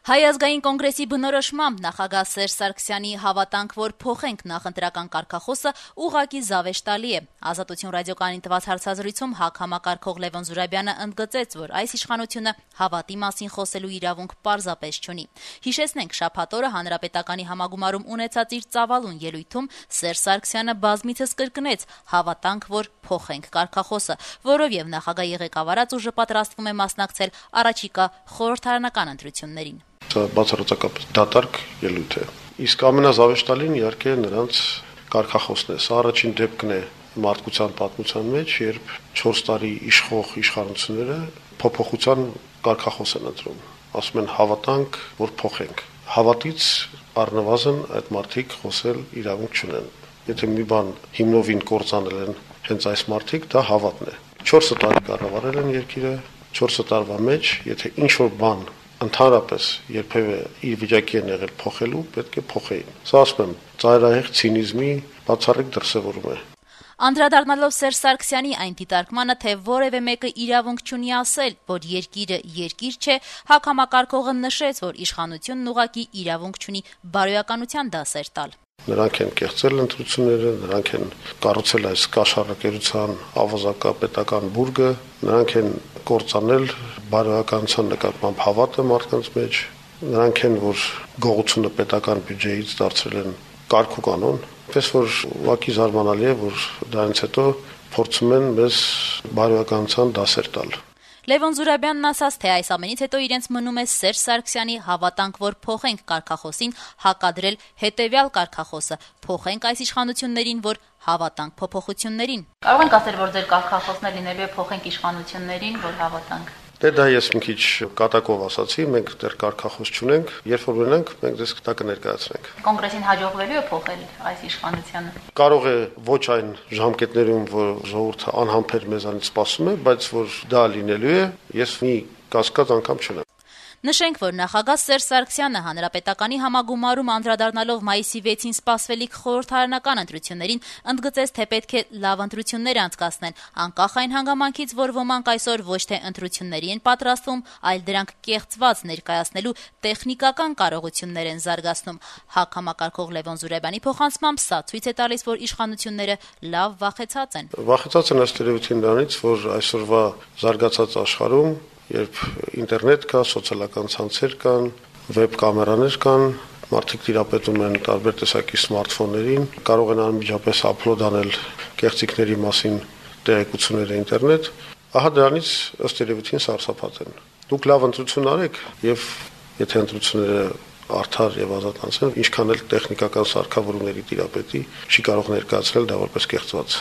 Հայ ազգային կոնգրեսի բնորոշմամբ նախագահ Սերժ Սարգսյանի «Հավատանք, որ փոխենք» նախընտրական կարգախոսը ուղղակի զավեշտալի է։ Ազատություն ռադիոկայանին տված հարցազրույցում ՀԱԿ համակարգող Լևոն Զուրաբյանը ընդգծեց, որ այս իշխանությունը հավատի մասին խոսելու իրավունք պարզապես չունի։ Հիշեցնենք, շաբաթ օրը Հանրապետականի համագումարում ունեցած իր ծավալուն ելույթում Սերժ Սարգսյանը բազմիցս կրկնեց «Հավատանք, որ փոխենք» կարգախոսը, որով եւ նախագահի ղեկավարած ուժը պատրաստվում է մասնակցել առաջիկա խորհրդարանական ընտրություններին։ Բացառությամբ դատարկ ելույթ է։ Իսկ ամենազավեշտալին իհարկե նրանց կարգախոսն է։ Սա առաջին դեպքն է մարդկության պատմության մեջ, երբ 4 տարի իշխող իշխանությունները փոփոխության կարգախոս են ընտրում։ Ասում են հավատանք, որ փոխենք։ Հավատից առնվազն այդ մարդիկ խոսել իրավունք չունեն։ Եթե մի բան հիմնովին կործանել են հենց այս մարդիկ, դա հավատն է։ 4 տարի կառավարել են երկիրը, 4 տարվա մեջ, եթե ինչ-որ բան ընդհանրապես երբևէ իր վիճակի են եղել փոխելու, պետք է փոխեին։ Սա ասում եմ, ծայրահեղ ցինիզմի բացառիկ դրսևորում է։ Անդրադառնալով Սերժ Սարգսյանի այն դիտարկմանը, թե որևէ մեկը իրավունք չունի ասել, որ երկիրը երկիր չէ, ՀԱԿ համակարգողը նշեց, որ իշխանությունն ուղղակի իրավունք չունի բարոյականության դասեր տալ։ Նրանք են կեղծել ընտրությունները, նրանք են կառուցել այս կաշառակերության ավազակապետական բուրգը, նրանք են կործանել բարոյականության նկատմամբ հավատը մարդկանց մեջ, նրանք են, որ գողությունը պետական բյուջեից դարձրել են կարգ ու կանոն, այնպես որ ուղղակի զարմանալի է, որ դրանից հետո փորձում են մեզ բարոյականության դասեր տալ։ Լևոն Զուրաբյանն ասաց, թե այս ամենից հետո իրենց մնում է Սերժ Սարգսյանի «Հավատանք, որ փոխենք» կարգախոսին հակադրել հետևյալ կարգախոսը՝ փոխենք այս իշխանություններին, որ հավատանք փոփոխություններին։ Կարող ենք ասել, որ ձեր կարգախոսն է լինելու է փոխենք իշխանություններին, որ հավատանք։ Դա ես մի քիչ կատակով ասացի, մենք դեռ կարգախոս չունենք, երբ որ ունենանք, մենք դες դա կներկայացնենք։ Կոնգրեսին հաջողվելու է փոխել այս իշխանությունը։ Կարող է ոչ այն ժամկետներում, որ ժողովուրդը անհամբեր մեզանից սպասում է, բայց որ դա լինելու է, ես մի կասկած անգամ չունեմ։ Նշենք, որ նախագահ Սերժ Սարգսյանը Հանրապետականի համագումարում անդրադառնալով մայիսի 6-ին սպասվելիք խորհրդարանական ընտրություններին ընդգծեց, թե պետք է լավ ընտրություններ անցկացնել, անկախ այն հանգամանքից, որ ոմանք այսօր ոչ թե ընտրությունների են պատրաստվում, այլ դրանք կեղծված ներկայացնելու տեխնիկական կարողություններ են զարգացնում։ ՀԱԿ համակարգող Լևոն Զուրաբյանի փոխանցմամբ սա ցույց է տալիս, որ իշխանությունները լավ վախեցած են։ Վախեցած են ըստ երևույթին նրանից, որ այսօրվա զարգացած աշխարհում երբ ինտերնետ կա, սոցիալական ցանցեր կան, վեբ կամերաներ կան, մարդիկ տիրապետում են տարբեր տեսակի սմարթֆոններին, կարող են անմիջապես ափլոդ անել կեղծիքների մասին տեղեկությունները ինտերնետ, ահա դրանից ըստ երևույթին սարսափած են։ Դուք լավ ընտրություն արեք եւ եթե ընտրությունները արդար եւ ազատ անցնեն, ինչքան էլ տեխնիկական սարքավորումների տիրապետի չի կարող ներկայացնել դա որպես կեղծված։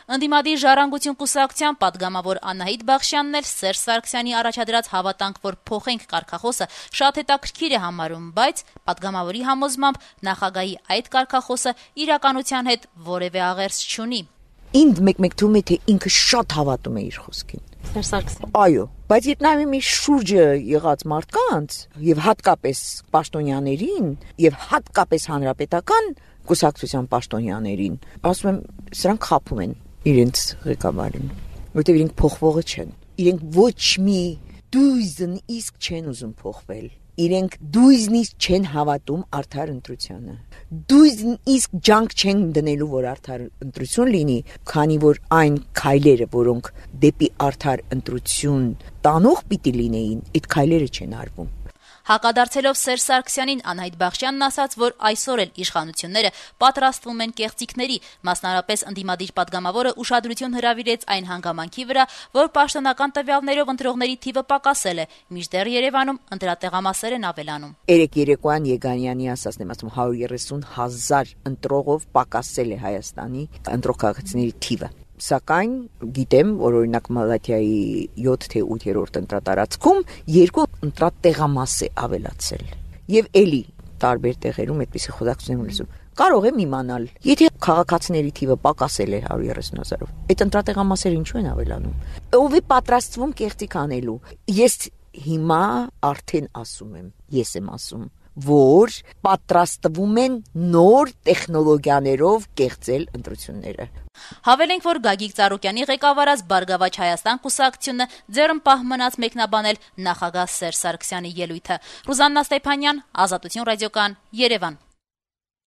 Ընդդիմադիր ժառանգություն կուսակցության պատգամավոր Անահիտ Բախշյանն էլ Սերժ Սարգսյանի առաջադրած «Հավատանք, որ փոխենք» կարգախոսը շատ հետաքրքիր է համարում, բայց պատգամավորի համոզմամբ նախագահի այդ կարգախոսը իրականության հետ որևէ աղերս չունի։ Ինձ մեկ թվում է, թե ինքը շատ հավատում է իր խոսքին։ Սերժ Սարգսյան։ Այո, բայց երբ նայում եմ իր շուրջը եղած մարդկանց եւ հատկապես պաշտոնյաներին եւ հատկապես հանրապետական կուսակցության պաշտոնյաներին, ասում եմ, սրանք խաբում են իրենց ղեկավարին, որտեղ իրենք փոխվողը չեն։ Իրենք ոչ մի դույզն իսկ չեն ուզում փոխվել։ Իրենք դույզն իսկ չեն հավատում արդար ընտրությանը։ Դույզն իսկ ջանք չեն դնելու, որ արդար ընտրություն լինի, քանի որ այն քայլերը, որոնք դեպի արդար ընտրություն տանող պիտի լինեին, այդ քայլերը չեն արվում։ Հակադարձելով Սերժ Սարգսյանին, Անահիտ Բախշյանն ասաց, որ այսօր էլ իշխանությունները պատրաստվում են կեղծիքների, մասնարարպես ընդդիմադիր պատգամավորը ուշադրություն հրավիրեց այն հանգամանքի վրա, որ պաշտոնական տվյալներով ընտրողների թիվը պակասել է, մինչդեռ Երևանում ընտրատեղամասեր են ավելանում։ Երեկ երեկոյան Եգանյանի ասածն եմ ասում, 130,000 ընտրողով պակասել է Հայաստանի ընտրող-քաղաքացիների թիվը։ Սակայն գիտեմ, որ օրինակ Մալաթիայի 7 թե 8-րդ ընտրատարածքում 2 ընտրատեղամաս է ավելացել։ Եվ էլի տարբեր տեղերում այդպիսի խոսակցություն եմ լսում։ Կարող եմ իմանալ, եթե քաղաքացիների թիվը պակասել է 130,000-ով, այդ ընտրատեղամասերը ինչու են ավելանում։ Ով է պատրաստվում կեղծիք անելու։ Ես հիմա արդեն ասում եմ, ես եմ ասում, որ պատրաստվում են նոր տեխնոլոգիաներով կեղծել ընտրությունները։ Հավելենք, որ Գագիկ Ծառուկյանի ղեկավարած Բարգավաճ Հայաստան կուսակցությունը ձեռնպահ մնաց մեկնաբանել նախագահ Սերժ Սարգսյանի ելույթը։ Ռուզաննա Ստեփանյան, Ազատություն ռադիոկան, Երևան։